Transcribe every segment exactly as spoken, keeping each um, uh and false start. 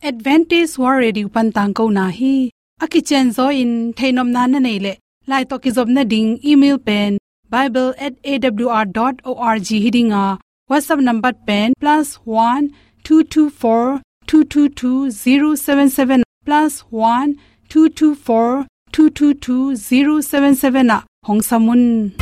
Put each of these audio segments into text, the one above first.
Adventist World Radio pan tangkona hi. A kicianzaw in theihnopna na neih leh, lai tawh kizopna ding email pen bible at A W R dot org hi ding a, WhatsApp number pen plus one two two four two two two zero seven seven, plus one two two four two two two zero seven seven ah hong sam un.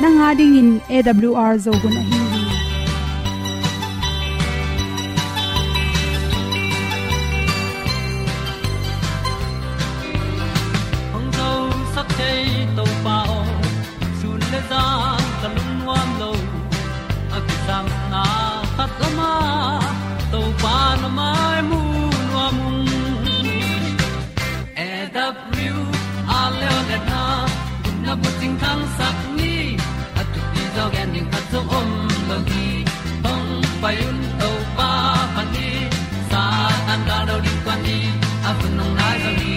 Nang a dingin A W R Zo hun ahi hi. Hong zosak thei Topa aw, sun le zan ka lungnuam lo. A kisapna khat om a, Topa na mai mu nuam ung. A W R Leo le na, na bucing thangsak ni, a thupi zaw gen ding khat zong om lo hi. Hong pai un Topa pan ni, Satan gal lo ding kuan ni, a hun hong nai zaw hi.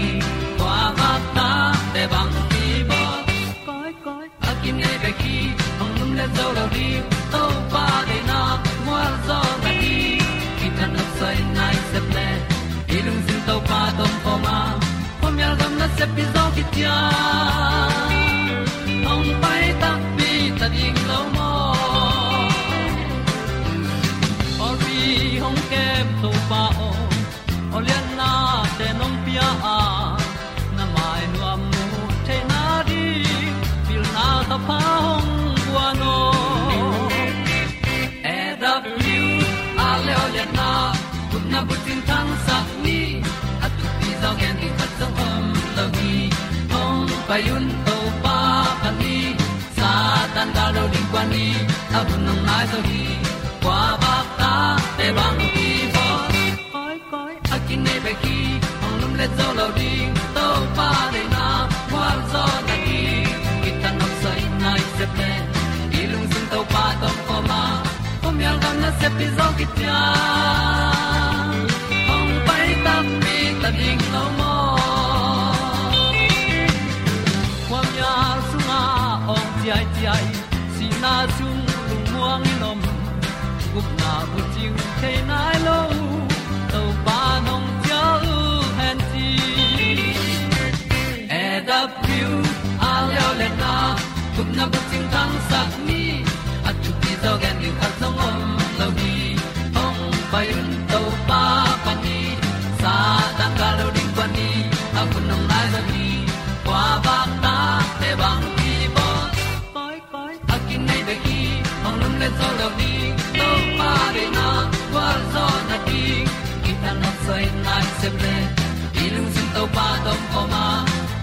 Kua vak ta te bang hi bawl. Koi, koi. A kinei bek hi, hong lum le zo lo ding, Topa deihna mual zaw na hi. Kithat nopsai nai sep le, i lungsim Topa tawh om khawm a, khuamial gam nasep hi zaw hi ciang. Hong pai takpi ta ding lo maw? Pawlpi hong kem Topa aw, aw lianna te nong pia a, na mai nuam mu theihna ding, pilna thapha hong guan aw. A W R Leo le na, gupna bucing thangsak ni, a thupi zaw gen ding khat zong om lo hi. Hong pai un Topa pan ni, Satan gal lo ding kuan ni, a hun hong nai zaw hi. Kua vak ta te bang hi bawl. Koi, koi. A kinei bek hi, hong lum le zo lo ding, Topa deihna mual zaw na hi. Kithat nopsai nai sep le, i lungsim Topa tawh om khawm a, khuamial gam nasep hi zaw hi ciang. Hong pai takpi ta ding lo maw? Khuamial sungah awng ciaiciai, sihna sung lungmuang in om, gupna bucing thei nai lo, Topa nong cial hen ci. A W R Leo le na, gupna bucing thangsak ni, a thupi zaw gen ding khat zong om lo hi. Hong pai un Topa pan ni, Satan gal lo ding kuan ni, a hun hong nai zaw hi. Kua vak ta te bang hi bawl. Koi, koi. A kinei bek hi, hong lum le zo lo ding, Topa deihna gual zaw na ding. Kithat nopsai nai sep le, i lungsim Topa tawh om khawm a,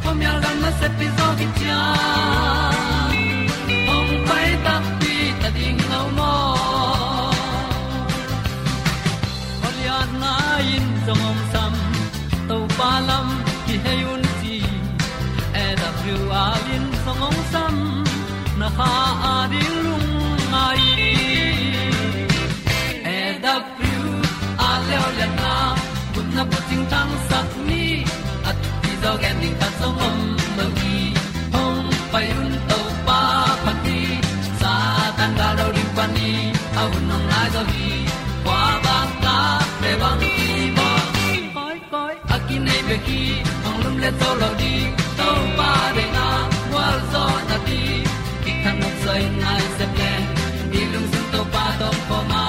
khuamial gam nasep hi zaw hi ciang. Hong pai takpi ta ding lo maw? Khualiatna in zong hong sam, Topa lam kihei un ci. A W R in zong hong sam, na kha a ding lungngai. A W R Leo le na, gupna bucing thangsak ni, a thupi zaw gen ding khat zong om lo hi. Hong pai un Topa pan ni, Satan gal lo ding kuan ni, a hun hong nai zaw hi. Kua vak ta te bang hi bawl. Koi, koi. A kinei bek hi, hong lum le zo lo ding, Topa deihna gual zaw na ding. Kithat nopsai nai sep le, i lungsim Topa tawh om khawm a,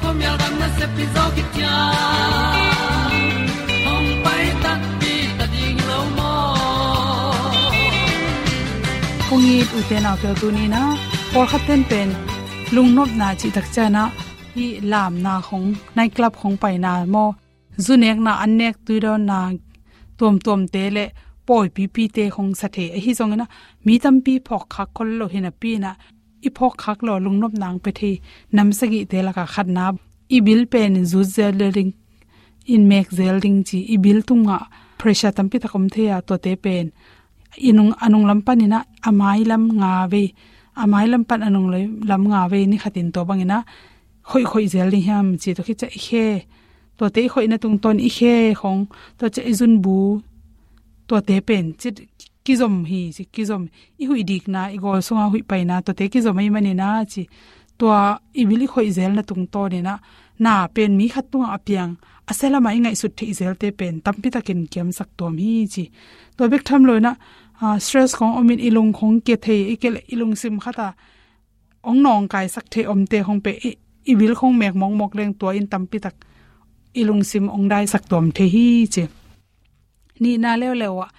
khuamial gam nasep hi zaw hi ciang. Hong pai takpi ta ding lo maw? Kong it u te nau te, tuni in ah pawlkhat ten pen lungnopna cih tak ciangin ah, hih lamna khong, night club khong paina maw, zu nekna, an nek, tui dawnna tuamtuamte le pawipipite khong sa thei. Ahi zongin ah, mi tampi phawk khak khol lo hi napi-in ah, i phawk khak lo lungnopna hong pia thei nam sagihte lakah khatna, i bil pen zut zel ding, in mek zel ding ci, i bil tungah pressure tampi tak om thei a, tuate pen i nung, a nung lam panin ah a mai lam nga vei, a mai lam pan a nung lam nga vei, ni khatin tua bangin ah khoih khoih zel ding hiam ci, tua khit ciang i khe, tuate i khoihna tungtawn i khe khong, tua ciang i zunbu, tuate pen ci, kizom hi ci, kizom, i huih dikna, i gawl sunga huih paina, tuate kizom ahih manin ah ci, tua i bil i khoih zelna tungtawnin ah na pen mi khat tungah a piang, a sia lamah i ngaihsut theih zelte pen tampi takin kiamsak tuam hi ci. Tua bek tham loin ah, ah, stress khong omin i lung khong kia thei, i kia leh i lungsim khat ah hong nawngkaisak thei omte khong pen i, i bil khong mek mawkmawk leng tua in tampi tak i lungsim hong daisak tuam thei hi ci. Nihna leuleu ah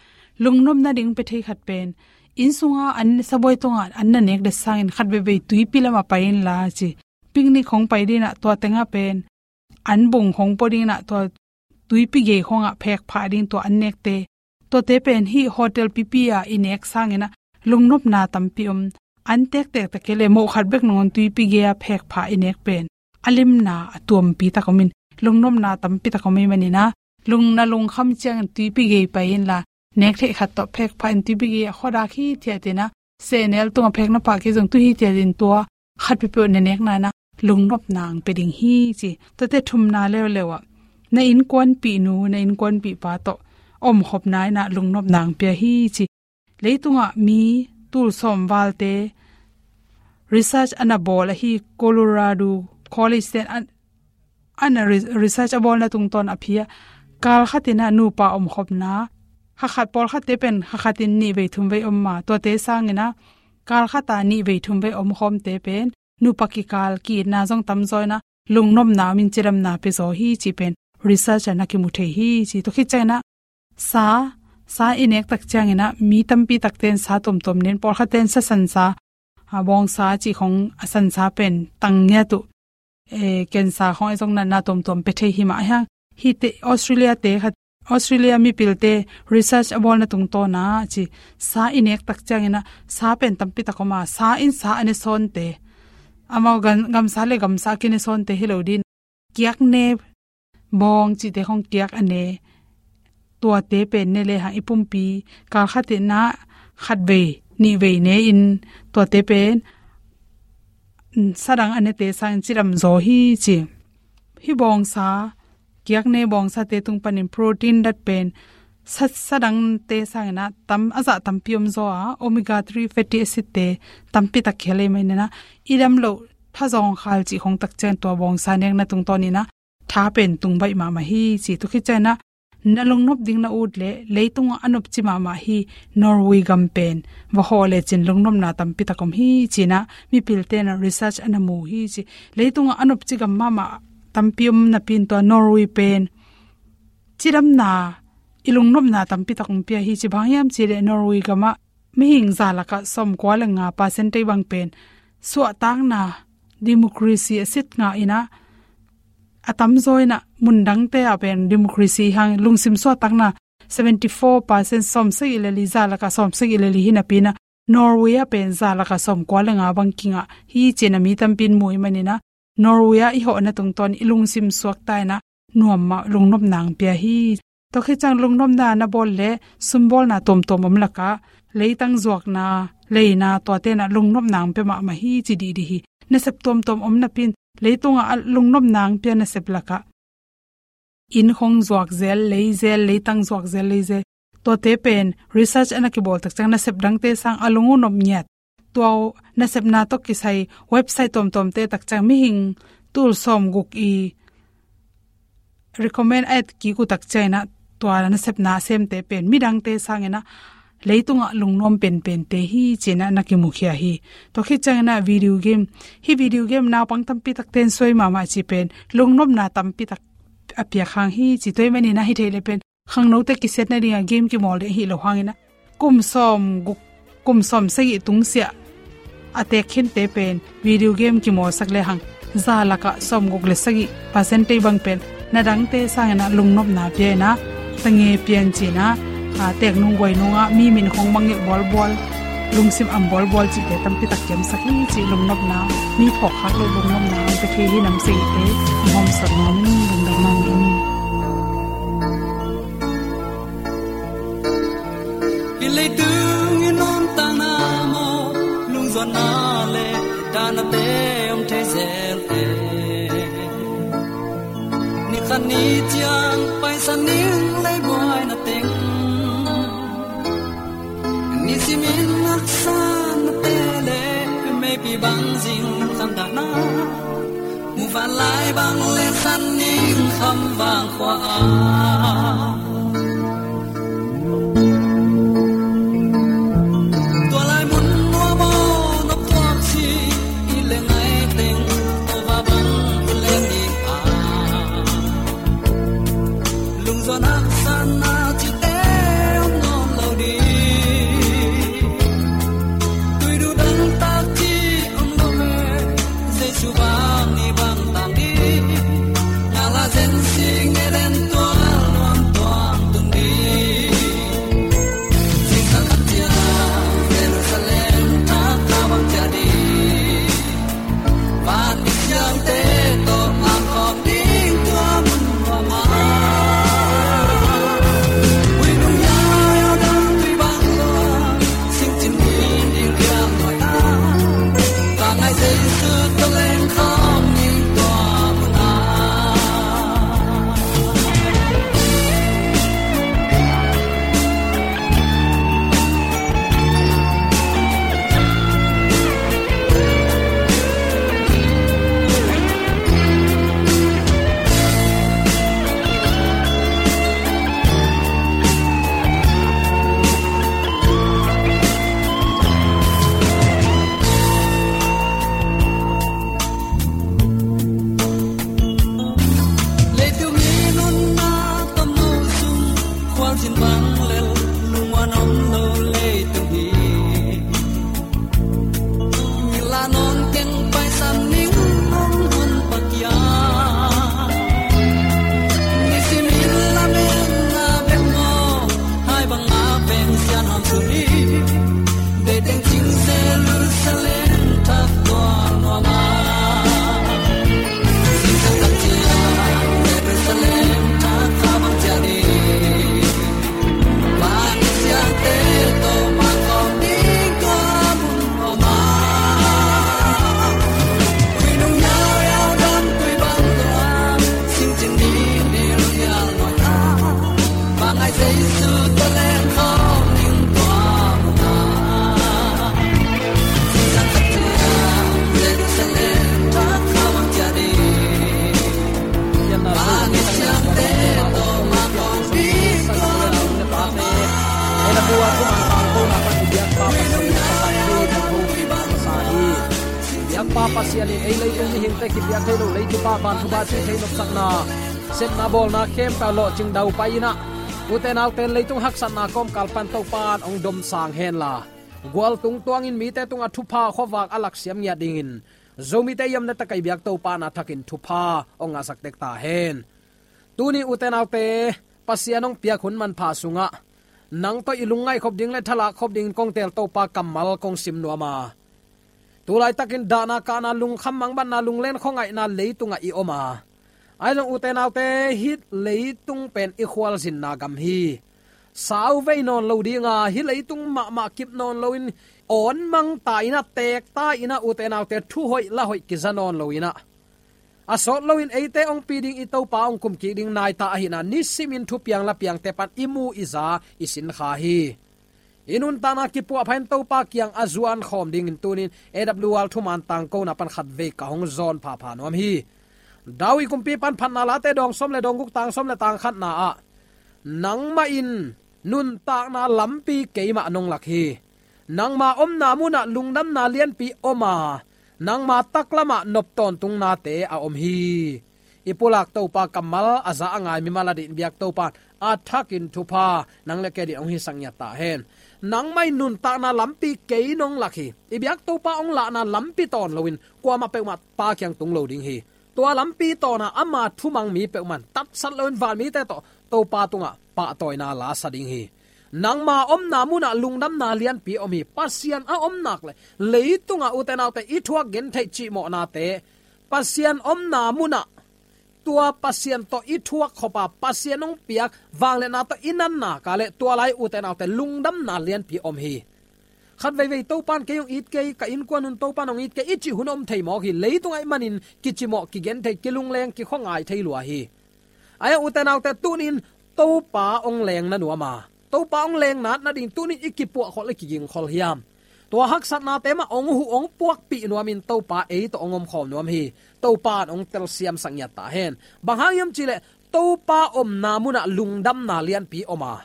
lungnopna ding pia thei khat pen, inn sunga an sabuai tungah an na nek det sangin khat veivei tuipi lamah pai inla ci. Picnic khong pai dingin ah tua tengah pen an bung khong pua dingin ah tua tuipi gei khongah phek phah ding tua an nekte, tuate pen hih hotel pipi ah i nek sangin ah lungnopna tampi om. An tektek tak kei leh moh khat bek nangawn tuipi gei-a phek phah i nek pen a limna a tuampi tak omin, lungnopna tampi tak om ahih manin ah, lung, na lungkham ciangin tuipi gei pai inla, nek theih khat tawh phek phah in tuipi gei ah khuadak hithiat in ah, sehnel tungah phek na phah kei zong tu hithiat in tua khat peuhpeuh na nekna in ah lungnopna hong pia ding hi ci. Tuate thumna leuleu ah na innkuanpihnu, na innkuanpihpa tawh omkhopna in ah lungnopna hong pia hi ci. Leitungah mi tul sawm valte research a na bawl ahi Colorado College ten a, a na re-, research a bawlna tungtawn a pia, kal khatin ah nupa omkhopna, kha khat, pawlkhatte pen kha khatin nih vei thum vei om a, tuate sangin ah kal khat ah nih vei thum vei omkhawmte pen nupa kikal ki-itna zong tamzaw in ah lungnopna omin cidamna pia zaw hi ci pen research ah na kimu thei hi ci. Tua khit ciangin ah sa, sa i nek tak ciangin ah mi tampi takte in sa tuamtuam ne in, pawlkhatte in sa sansa, a, bawngsa cih khong, a sansa pen tang ngiat uh, e, cancer khong ahi zongin ah na tuamtuam pia thei hi mah a hiang. Hihte Australia te khat, Australia mipilte research a bawlna tungtawn ah ci, sa i nek tak ciangin ah sa pen tampi tak om a, sa in sa a ne sawnte, amau gam, gamsa le gamsa a kine sawnte hi lo dingin, kiak ne bawng cihte khong kiak a ne, tuate pen ne lehang i pumpi kal khatin ah khat vei nih vei ne in, tuate pen, mm, sa dang a nete sangin cidam zaw hi ci. Hih bawngsa, kiak ne bawngsate tung panin protein dat pen sa, sa dangte sangin ah tam, a zah tampi om zaw a, omega three fatty acid te tampi tak kihel ahih manin ah, i dam loh tha zawngkhal cih khong tak ciang tua bawngsa nekna tungtawnin ah tha pen tung baih mahmah hi ci. Tua khit ciangin ah na lungnop ding na ut leh leitungah a nopci mahmah hi Norway gam pen va hawh lecin lungnopna tampi tak om hi ci-in ah mipilte in ah research a na mu hi ci. Leitungah a nopci gam mahmah tampi om napi-in tua Norway pen cidamna, i lungnopna tampi tak hong pia hi ci. Bang hiam cih leh Norway gamah mihing za lakah sawmkua le nga percent tei bang pen suahtakna, democracy a sit ngah in ah, a tamzaw in ah mundangte ah pen democracy hang lungsim suahtakna seventy four percent, sawmsagih le li, za lakah sawmsagih le li hi napi-in ah Norway ah pen za lakah sawmkua le nga bang kingah hi ci-in ah mi tampi in mu ahih manin ah Norway ah i hawhna tungtawn i lungsim suakta in ah nuam mah lungnopna hong pia hi. Tua khit ciang lungnopna na bawl leh sumbawlna tuamtuam om lakah leitang zuakna, leina, tuate in ah lungnopna hong pia mahmah hi ci dihdih hi. Nasep tuamtuam om napi-in leitungah a lungnopna hong pia nasep lakah inn khong zuak zel, lei zel, leitang zuak zel, lei zel, tuate pen research a na kibawl tak ciang nasep dangte sang a lung uh nop ngiat. Tua nasepna tawh kisai website tuamtuamte tak ciang mihing tul sawmguk i recommend a et kik uh tak ciangin ah tua nasepna a semte pen midangte sangin ah leitungah lungnuam penpente hi ci-in ah na kimukhia hi. Tua khit ciangin ah video game, hih video game naupang tampi takte in suai mahmah cih pen lungnopna tampi tak a piak hang hi ci. Tua ahih manin ah hi thei leh pen khangnote kisiatna dingah game kimawl ding ahi lo hangin ah kum sawmguk, kum sawmsagih tungsiah a teek khinte pen video game kimawlsak lehang za lakah sawmguk le sagih percent tei bang pen na dangte sangin ah lungnopna pia in ah, tange pian ci-in ah, a, teek nung guai nungah mi min khong mangngilh bualbual, Lungsim am bawlbawl cihte tampi tak ciamsak hi cih lungnopna, mi phawk khak loh lungnopna hong pia thei hi nam sehte hong hawmsawn nuam in, lungdam nuam in. Hih leitung i nuntakna maw, lungzuanna le dahnate om thei zel e. Ni khat ni ciang paisan ning lei buaina teng, nisimin haksatnate le meipi bang zing khandahna, muvanlai bang le san ning kham vang khua a, tua lai mun nuam aw, na puak si i le ngai teng, tua va bang i le ni a. Lungzuan haksatna cihte om nawn lo ding. Tuidu dangtak cih om lo e, Jesu bang ni bang tang ding. Ngala zen sing e den tual nuam tuang tung ding. Zingsang khat ciang Jerusalem thak kha bang ciah ding. Van i siangte tawh a khawm ding tua mun nuam a. Ui nung yau yau dang tui bang lua, singcin ni ding liang nuai a. Ka ngai Jesu tawh leng khawm ding tua mun a. Leitung i nunna tamno sung, khualzin bang lel lungmuan om lo leitung hi. Ngila nawn keng paisan ning hong hun pakia. Nisimin lamen na bek maw, hai bang na beng sian hong suni. Deiteng cing Jerusalem thak tuang nuam a. Singsak tak ciang Jerusalem thak kha bang ciah ding. Van i siangte tawh mah khawm ding tua mun nuam a. Ui nung yau yau dam tui bang lua, singcin ni ding liang nuai a. Bang ai Jesu tawh leng khawm ding tua mun a. Singsak tak ciang Jerusalem thak kha bang ciah ding. Bang i siangte tawh mah khawm ding tua mun a. Biakpa Pasian in ei leitung mihingte kipiak thei lo, lei thupha, van thupha ci thei nopsakna, sepna bawlna khempeuh lawhcing daupai in ah, ute naute leitung haksatna kawmkal pan Topa in hong domsang henla, gual tung tuangin mite tungah thupha khuavak a laksiam ngiat dingin Zomite i om na tak a i biak Topa in a thakin thupha hong ngahsak tek ta hen. Tuni ute naute, Pasian hong piak hun manpha sungah nang tawh i lungngaih khop ding le thalak khop dingin kong teel Topa kammal kong sim nuam a. Tulaitakin dahna kahna, lungkham mangbatna, lunglen khuangaihna leitungah i om a. Ahi zong ute naute, hih leitung pen i khualzinna gam hi. Sauvei nawn lo ding a, hih leitung mahmah kip nawn loin, awn mang ta in ah, teek ta in ah, ute naute, thu hoih la hoih kiza nawn lo in ah, a sawt loin eite hong pi ding i Topa hong kumkik ding nai ta ahihna nisimin thupiang lapiangte pan i mu i za i sin kha hi. I nuntakna kipuahpha in Topa kiang a zuan khawm dingin tunin A W R thuman tangkona pan khatvei ka hong zawn phapha nuam hi. David kumpi pan Phatna Late dawng sawm le dawng guk, tang sawm le tang khatna ah, nangmah in nuntakna lampi keimah nong lak hi. Nangma omna munah lungdamna lianpi om a, nangma taklamah nop tawntungnate a om hi. I pulak Topa kammal a za a ngai mimal a dih in biak Topa a thakin thupha nang le kei dih hong hisak ngiat ta hen. Nangmah in nuntakna lampi kei nong lak hi. I biak Topa hong lahna lampi tawn loin kuamah peuhmah Pa kiang tung lo ding hi. Tua lampi tawnah ama thumang mi peuhmah in tatsat loin vanmite tawh Topa tungah pahtawina lasa ding hi. Nangma omna munah lungdamna lianpi om hi. Pasian a omnak le leitungah ute naute i thuak gentheih cihmawhnate, Pasian omna munah tua Pasian tawh i thuak khop a, Pasian hong piak vangliatna tawh i natna ka le tua lai ute naute lungdamna lianpi om hi. Khat veivei Topan kei hong it kei, ka innkuan un Topan hong it kei i cih hun om thei mawk hi. Leitung ahih manin kicimawh, kigenthei, kilungleng, kikhuangai thei lua hi. Ahi a ute naute tunin Topa hong leng na nuam a, Topa hong leng natna ding tunin i kipuahkholh, i kigingkholh hiam? Tua haksatnate mah hong huh, hong puakpih nuamin Topa ei tawh hong omkhawm nuam hi. Topa in hong telsiamsak ngiat ta hen. Bang hang hiam cihleh Topa omna munah lungdamna lianpi om a,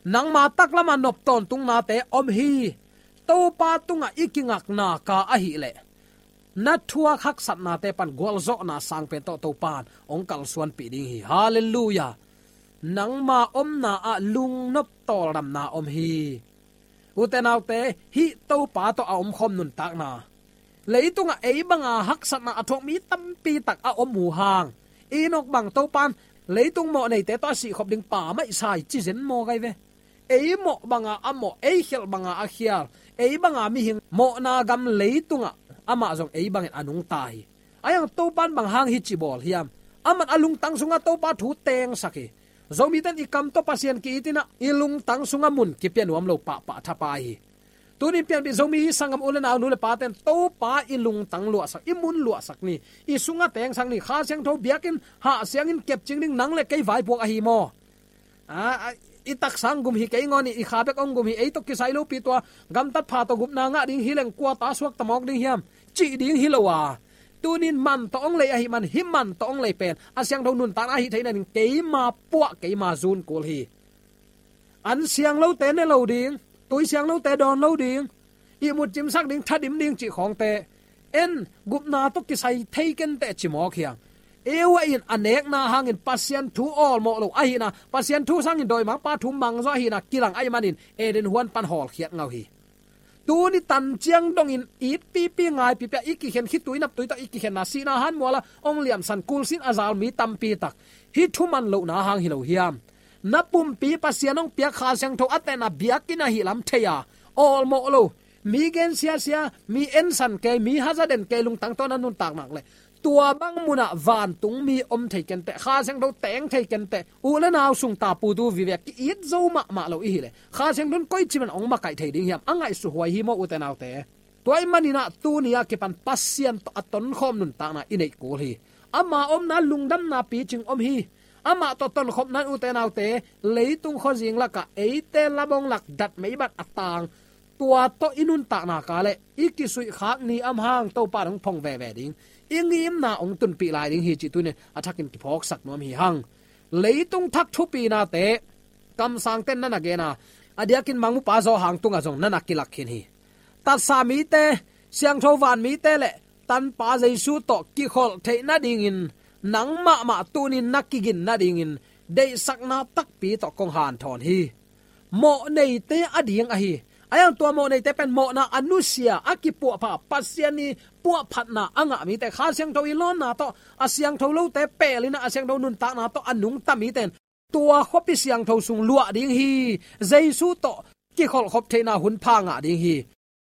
nangma taklama nop tawntungnate om hi. Topa tungah i kingakna ka ahileh na thuak haksatnate pan gualzawhna sangpen tawh Topan hong kalsuanpih ding hi. Halleluiah. Nangma omna ah lungnop tawldamna om hi. Ute naute, hih Topa tawh a omkhawm nuntakna, leitungah ei banga haksatna a thuak mi tampi tak a om uh hang, Enok bang Topan leitung mawhneite tawh a sihkhop ding pa mah i sa hi ci zen maw gai ve. Ei mawh banga a mawh, ei khialh banga a khial, ei banga mihing mawhna gam leitungah amah zong ei bangin a nungta hi. Ahi hang Topan bang hang hih ci bawl hiam? Aman a lungtang sungah Topa thu tengsak hi. Zomite in i kam tawh Pasian ki-it in ah i lungtang sungah mun kipia nuam lo pahpah thapai hi. Tunin pianpih Zomi sanggam u le nau, nu le pate in Topa i lungtang luahsak, i mun luahsak ni, i sungah tengsak ni. Kha Siangtho biakinn hah siangin kepcing ding nang le kei vaipuak ahi maw? A, a, i taksa hong gum hi kei ngawn hi, i kha bek hong gum hi, ei tawh kisai lopi tua gamtat pha tawh gupna ngah ding hi leng kua ta suak ta mawk ding hiam cih ding hi lo a, tunin man tawh hong lei ahih man hih man tawh hong lei pen a siangtho nuntakna ahih theihna ding keima puah, keima zun kul hi. An siang lote ne lo ding, tui siang lote dawn lo ding, ihmut cimsak ding, thadim ding cih khawngte en, gupna tawh kisai thei kenteh ci mawk hiam? Eva in a nekna hangin Pasian thu awlmawh lo ahihna, Pasian thu sangin dawimangpa thu mangzaw ahihna kilang ahih manin Eden huan pan hawlkhiat ngau hi. Tuni tan ciang dongin it pipi ngai pipi a i kikhen, khitui naptui tawh i kikhenna, sihna hanmuala hong liamsan, kulsin a zal mi tampi tak hih thuman lohna hang hi lo hiam? Na pumpi Pasian hong piak Kha Siangtho a tehna biakinn ahih lam thei a, awlmawh lo, mi gen siasia, mi ensan kei, mi hazaden kei lungtang tawh na nuntak nak leh tua bang munah vantung mi om thei kenteh, Kha Siangtho teng thei kenteh, u le nau sung tapu tu vive ki-it zo mahmah lo i hileh Kha Siangtho in koici man hong makaih thei ding hiam? A ngaihsut huai hi maw ute naute? Tua ahih manin ah tuni a kipan Pasian tawh a tonkhawm nuntakna i neih kul hi. Ama omna lungdamna picing om hi. Amah tawh tonkhopna in ute naute, leitung khuazing lakah eite labawng lak dat meibat a tang, tua tawh i nuntakna ka leh i kisuihkhak ni a om hang Topa in hong phong veve ding, i ngimna hong tunpih lai ding hi cih tuni a thakin kiphawksak nuam hi hang. Leitung thak thupinate kamsangte in na na gen a, a diakin Mangmupa Zawhang tungah zong na na kilak khin hi. Tatsa mite, siangtho van mite le Tanpa Jesu tawh kikholh theih nadingin nang mahmah tunin na kigin nadingin deihsakna takpi tawh kong hanthawn hi. Mawhneite a ding ahi. Ahi hang tua mawhneite pen mawhna a nusia, a kipuahpha, Pasian i puahphatna a ngah mite, Kha Siangtho i lawnna tawh a siangtho lote pelin a siangtho nuntakna tawh a nungta mite in tua khuapi siangtho sung luah ding hi. Jesu tawh kikholhkhop theihna hun pha ngah ding hi.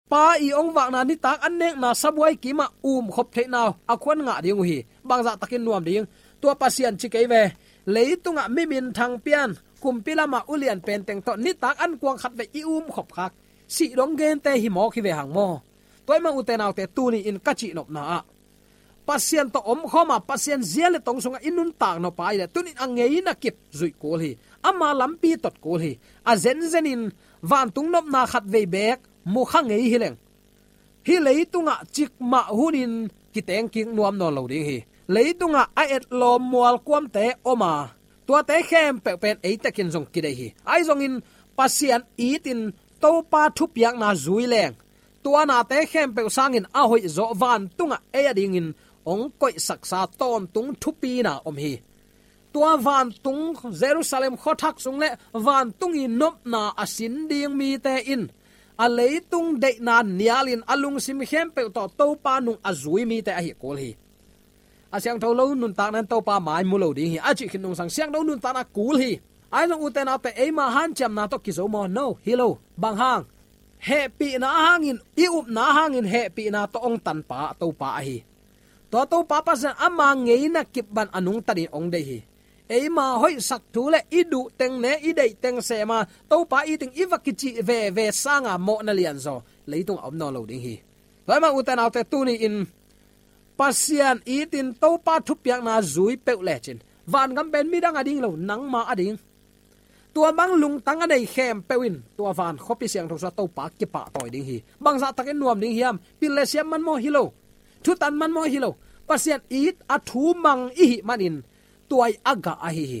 Pa i hong vakna, nitak an nekna sabuai kimah umkhop theihna a khuan ngah ding uh hi. Bangzah takin nuam ding? Tua Pasian ci kei ve. Leitungah mi minthang pian, kumpi lamah ulian penteng tawh nitak an kuang khat vei i umkhop khak, sih dong gente hi mawk hi ve hang maw? Tua ahih man ute naute, tuni in ka cihnopna ah Pasian tawh omkhawm a, Pasian zia le tong sungah i nuntak nop a i leh tunin a ngeina kip zuih kul hi. Ama lampi tot kul hi. A zenzenin vantung nopna khat vei beek mukha ngei hi leng, hih leitungah cikmah hunin kiteng kik nuam nawn lo ding hi. Leitungah a etlawm mualkuamte om a, tuate khempeuh pen eitekin zong kideih hi. Ahi zongin Pasian itin Topa thupiakna zui leng, tua nate khempeuh sangin a hoihzawh vantungah ei a dingin hong koihsaksa tawntung thupina om hi. Tua vantung, Jerusalem khuathak sung le vantung i nopna a sin ding mite in a leitung deihna nialin a lungsim khempeuh tawh Topa nung a zui mite ahi kul hi. A siangtho lo nuntakna in Topa mai mu lo ding hi, a cih khit nungsang siangtho nuntakna kul hi. Ahi zong ute naute, eima hanciamna tawh kizo maw? No, hi lo. Bang hang? Hehpihna hangin, i upna hangin hehpihna tawh ong tanpa Topa ahi. Tua Topa Pasian ama ngeina kip bang a nungtanin ong deih hi. Eima hoihsak thu le i duh teng ne, i deih teng sema Topa i teng i va kicih veve sanga mawhna lianzaw leitung a om nawn lo ding hi. Tua ahih manin ute naute, tuni-in Pasian itin Topa thupiakna zui peuh lecin vangam pen midang a ding lo, nangma a ding. Tua bang lungtang a nei khempeuh in tua van khuapi siangtho sungah Topa kipahtawi ding hi. Bangzah takin nuam ding hiam? Pil le siam man maw? Hi lo. Thutan man maw? Hi lo. Pasian it a thu mang i hih manin tua i a gah ahi hi.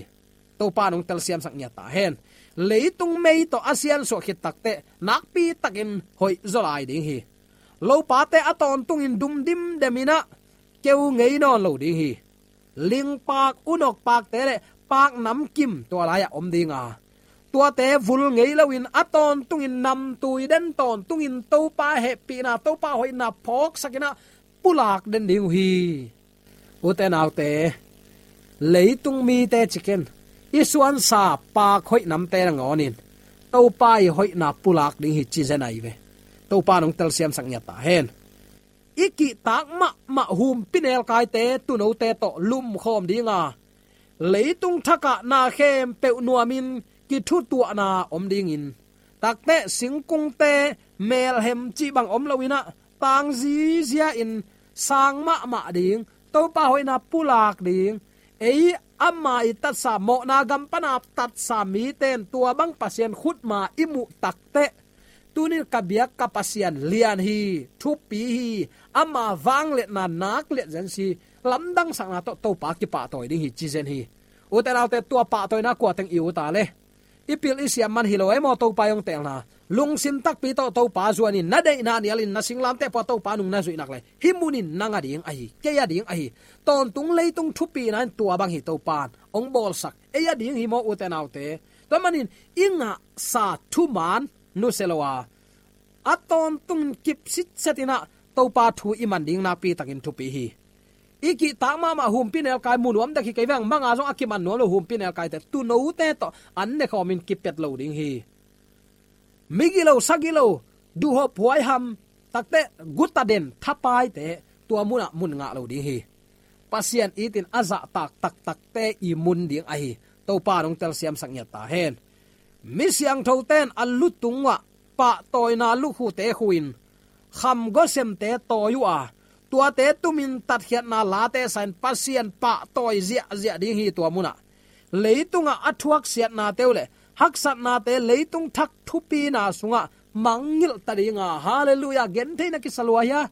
Topa nong telsiamsak ngiat ta hen. Leitung mei tawh a siansuah khit takteh nakpi takin hoih zaw lai ding hi. Lopate a tawntungin dum dimdem in ah keu ngei nawn lo ding hi. Lingpak, unok pakte le pak namkim tua lai-ah om ding a, tuate vul ngei loin a tawntungin namtui den tawntungin Topa hehpihna, Topa hoihna phawksak in ah pulak den ding uh hi. Ute naute, leitung mite ci ken, i suansa pak hoih namte nangawnin Topa i hoihna pulak ding hi ci zen ahi ve. Topa nong telsiamsak ngiat ta hen. I kihtak mahmah humpinelkaite, tuunote tawh lumkhawm ding a, leitung thakah na khempeuh nuamin kithutuahna om dingin, takteh singkungte melhem cih bang om loin ah tang zizia-in sang mahmah ding, Topa hoihna pulak ding. Ei ama i tatsa, mawhna gam pana tatsa mite in tua bang Pasian khutma i muh takteh, tunin ka biak ka Pasian lian hi, thupi hi, ama vangliatna nak liat zen si, lamdangsakna tawh Topa kipahtawi ding hi ci zen hi. Ute naute, tua pahtawina kua teng i ut a le, i pil i siam man hi lo ei maw, Topa i hong teelna. Lungsim takpi tawh Topa zuanin, na deihna nialin, na singlamteh pua Topa nung na zuih nak le, hih munin nang a ding ahi, kei a ding ahi. Tawntung leitung thupina in tua bang hi Topa in hong bawlsak, ei a ding hi maw ute naute. Tua manin i ngahsa thuman nusia lo a, a tawntungin kip sitset in ah Topa thu i man ding nakpi takin thupi hi. I kihtak mahmah humpinelkai mu nuam dek hi kei veng, manga zong a kiman nuam lo humpinelkaite, tuunote tawh an nekhawmin kipet lo ding hi. Migilo, sagilo, duhhop, huaiham, takteh guta den, thapaite tua munah mun ngah lo ding hi. Pasian itin a zahtak taktakte i mun ding ahi. Topa nong telsiamsak ngiat ta hen. Mi siangthote in a lutungah pahtawina lukhute khuin, khamgawsemte tawi uh a, tuate tumin tatkhiatna late sa-in Pasian pahtawi ziahziah ding hi tua munah. Leitungah a thuaksiatnate uh le haksatnate leitung thak thupina sungah mangngilh ta ding a, halleluiah, gentheihna kisa lua hia?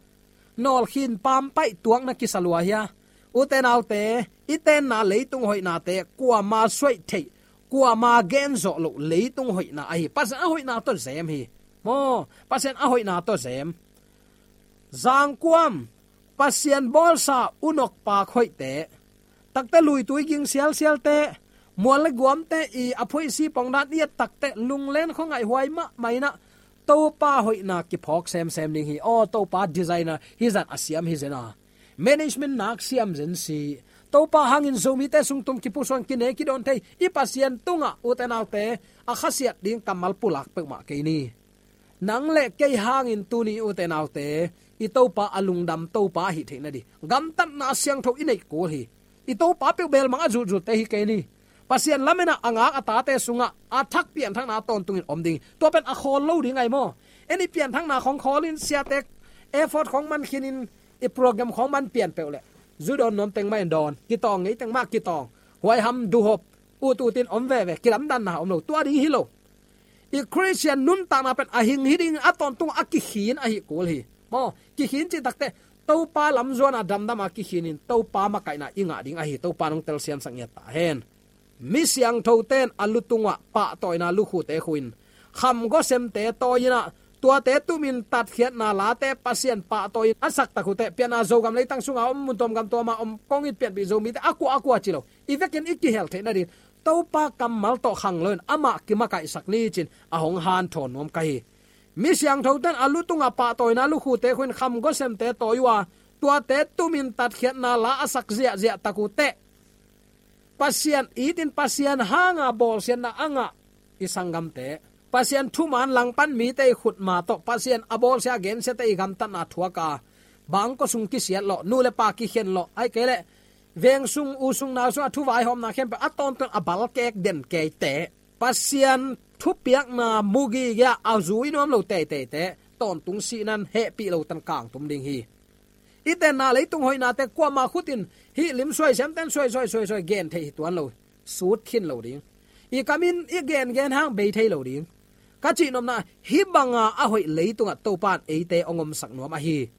Nawlkhin pampaih tuakna kisa lua hia? Ute naute, i tenna leitung hoihnate kuama suaih theih, kuama gen zawh loh leitung hoihna ahi. Pasian a hoihna tawh zem hi. Maw, Pasian a hoihna tawh zem. Zangkuam, Pasian bawlsa unok pak hoihte, takteh luitui ging sialsialte, mual le guamte i a phuaisi pongdan i et takteh lunglen khuangaih huai mahmah in ah Topa hoihna kiphawk semsem ding hi. Aw, Topa designer hi zan a siam hi zen a, management nak siam zen si. Topa hangin Zomite sung tum kipusuan kine kidawn thei i Pasian tungah ute naute, a khasiat ding kammal pulak peuhmah kei ni. Nang le kei hangin tuni ute naute, i Topa a lungdam Topa ahih theih nading gamtatna siangtho i neih kul hi. I Topa peuh belmang a zulzulte hi kei ni. Pasian lamen ah a ngak a tate sungah a thak pianthakna tawntungin om ding hi. Tua pen a khawl lo ding ahi maw? En i pianthakna khawng khawlin, siate effort khawng man khinin, i program khawng man pian peuh leh zu dawn nuam teng mah in dawn, kitawng ngei teng mah kitawng, huaiham duhhop, ut utin om veve, kilamdanna om lo, tua ding hi lo. I Khristian nuntakna pen a hing hi ding, a tawntung a kikhin ahi kul hi. Maw, kikhin cih takteh Topa lamzuana damdama kikhinin Topa makaihna i ngah ding ahi. Topa nong telsiamsak ngiat ta hen. Mi siangthote in a lutungah pahtawina lukhute khuin, khamgawsemte tawi in ah, tuate tumin tatkhiatna late Pasian pahtawi a sak tak uh teh, pianna Zogam leitang sunga om, mun tuam gam tuama om, kong it pianpih Zomite a kua a kua ci lo, i vekin i kihel theih nading Topa kammal tawh khang loin amah kimakaihsak ni cin a hong hanthawn nuam ka hi. Mi siangthote in a lutungah pahtawina lukhute khuin, khamgawsemte tawi uh a, tuate tumin tatkhiatna la a sak ziahziah tak uh teh, Pasian itin Pasian hanga bawlsiatna a ngah i sanggamte, Pasian thuman langpan mite i khutma tawh Pasian a bawlsia gensiate i gamtatna thuak a, bangkua sung kisiat lawh, nu le pa kikhen lawh, ahih kei leh veng sung, u sung, nau sung a thuvaihawmna khempeuh a tawntung a balkek den keite, Pasian thupiakna mugi gei-a a zui nuam lo teiteite tawntung sihna in hehpih lo tan kangtum ding hi. I tenna leitung hoihnate kuamah khutin hih lim suai siamten suai suai suai suai gen theih hi tuan lo, sut khin lo ding. I kamin i gengen hang bei thei lo ding. Ka cihnopna, hih banga a hoih leitungah Topa in eite hong omsak nuam ahi.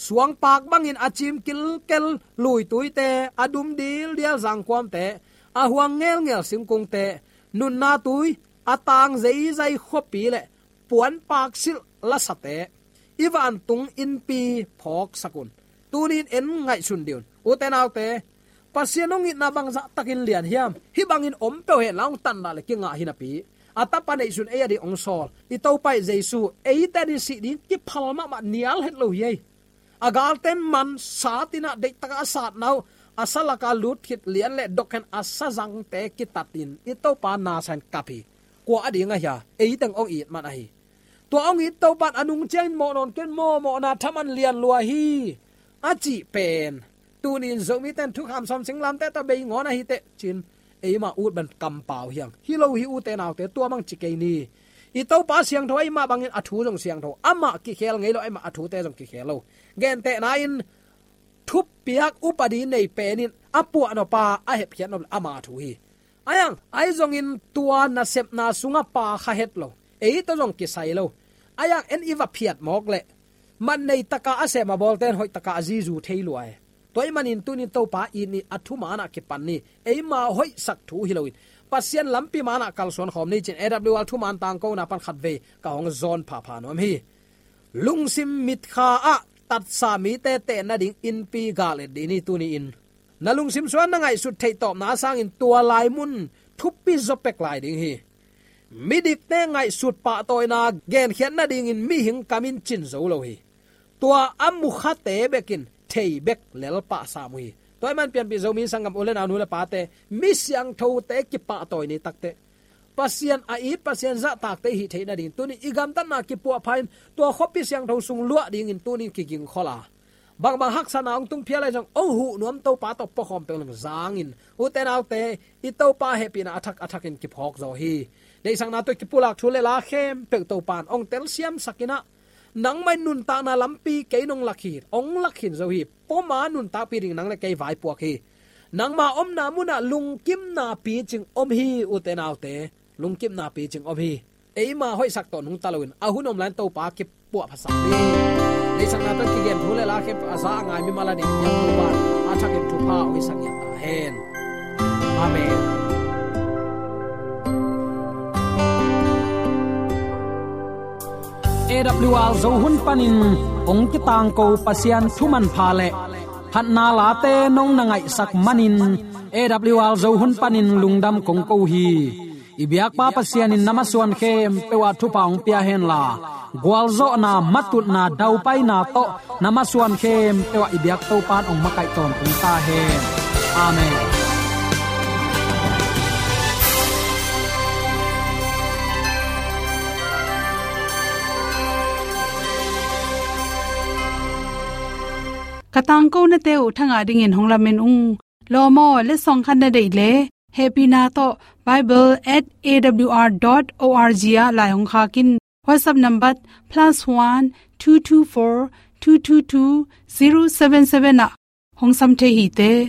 Suangpak bangin a cim kilkel luituite, a dum dildial zangkuamte, a huang ngelngel singkungte, nunna tui a tang zeizai khuapi le puanpak silh lasate, i vantung innpi phawksak un. Tunin en ngaihsun dih un. Ute naute, Pasian hong itna bangzah takin lian hiam? Hih bangin om peuh hen la, hong tanna le kingah hi napi, a Tapa neihsun ei a ding hong sawl i Topa i Jesu eite a ding sih ding kiphal mahmah nial het lo hi ei. A galten man satin ah deihtakah a satna uh, a salaka lut khit lian le dok hen a sazangte kitatin i Topa nasa in kap hi. Kua a ding a hia? Ei teng hong it man ahi. Tua hong it Topa in a nung ciangin mawh nawn kei un, mawhmawhna thaman lian lua hi, a cih pen, tunin Zomite in thukham sawm singlamteh tawh bei ngawn ahi teh ci-in eima ut bang kampau hi hang. Hi lo hi ute naute, tua bang ci kei ni. I Topa siangtho, eima bangin a thu zong siangtho, amah kikhel ngei lo, eima a thute zong kikhel lo. Gentehna in, thupiak upadi nei pen in a puahnop a, a hepkhiatnop le ama thu hi. Ahi hang, ahi zongin tua nasepna sungah pa kha het lo, ei tawh zong kisai lo. Ahi hang, en i va phiat mawk leh, man nei taka a sem a bawlte in hoih taka a zizu thei lua hi. Tua ahih manin tunin Topa it ni, a thuman ah kipan ni, eima hoihsak thu hi loin Pasian lampi man ah kalsuan khawm ni ci-in A W R thuman tangkona pan khatvei ka hong zawn phapha nuam hi. Lungsim mitkha ah tatsa mite ten nading innpi gal et dih ni tuni-in. Na lungsim sungah na ngaihsut theih tawpna sangin tua lai mun thupi zaw pek lai ding hi. Midikte ngaihsut pahtawina genkhiat nadingin mihing kam in cin zo lo hi. Tua a mukhate bekin thei bek lel pah sam uh hi. Tua ahih man pianpih Zomi sanggam u le nau, nu le pate, mi siangthote kipahtawi ni takteh, Pasian a it, Pasian zahtakte i hih theih nading tunin i gamtatna kipuahpha in tua khuapi siangtho sung luah dingin tunin kigingkhol a, bangbang haksatna hong tung phial ahi zong hong huh nuam Topa tawh puakhawm peuh leng zangin, ute naute, i Topa hehpihna a thak a thakin kiphawk zaw hi. Deihsakna tawh kipulak thu le la khempeuh Topa in hong telsiamsak in ah, nangmah in nuntakna lampi kei nong lak hi, hong lak khin zo hi. Poma nuntakpih ding nang le kei vaipuak hi. Nangma omna munah lungkimna picing om hi, ute naute. Lungkimna picing om hi. Eima hoihsak tawh nungta loin a hun om lai-in Topa kipuahphasak ni. Deihsakna tawh kigen thu le la khempeuh a za a ngai mimal a ding piang Topa in a thakin thupha hong hisak ngiat ta hen. Amen. A W R Zo hun panin hong kitangko Pasian thu manpha le phatna late nong na ngaihsak manin A W R Zo hun panin lungdam kong ko hi. I biakpa Pasian in na masuan khempeuh ah thupha hong pia henla, gualzawhna, matutna, daupaina tawh na masuan khempeuh ah i biak Topa in hong makaih tawntung ta hen. Amen. Ka tangkonate uh thangah dingin hong lamen ung. Lawm aw, letsong khat na deih leh, hehpihna tawh bible at A W R dot O R G ah lai hong khak in. WhatsApp number plus one two two four two two two zero seven seven ah hong sam thei hi te.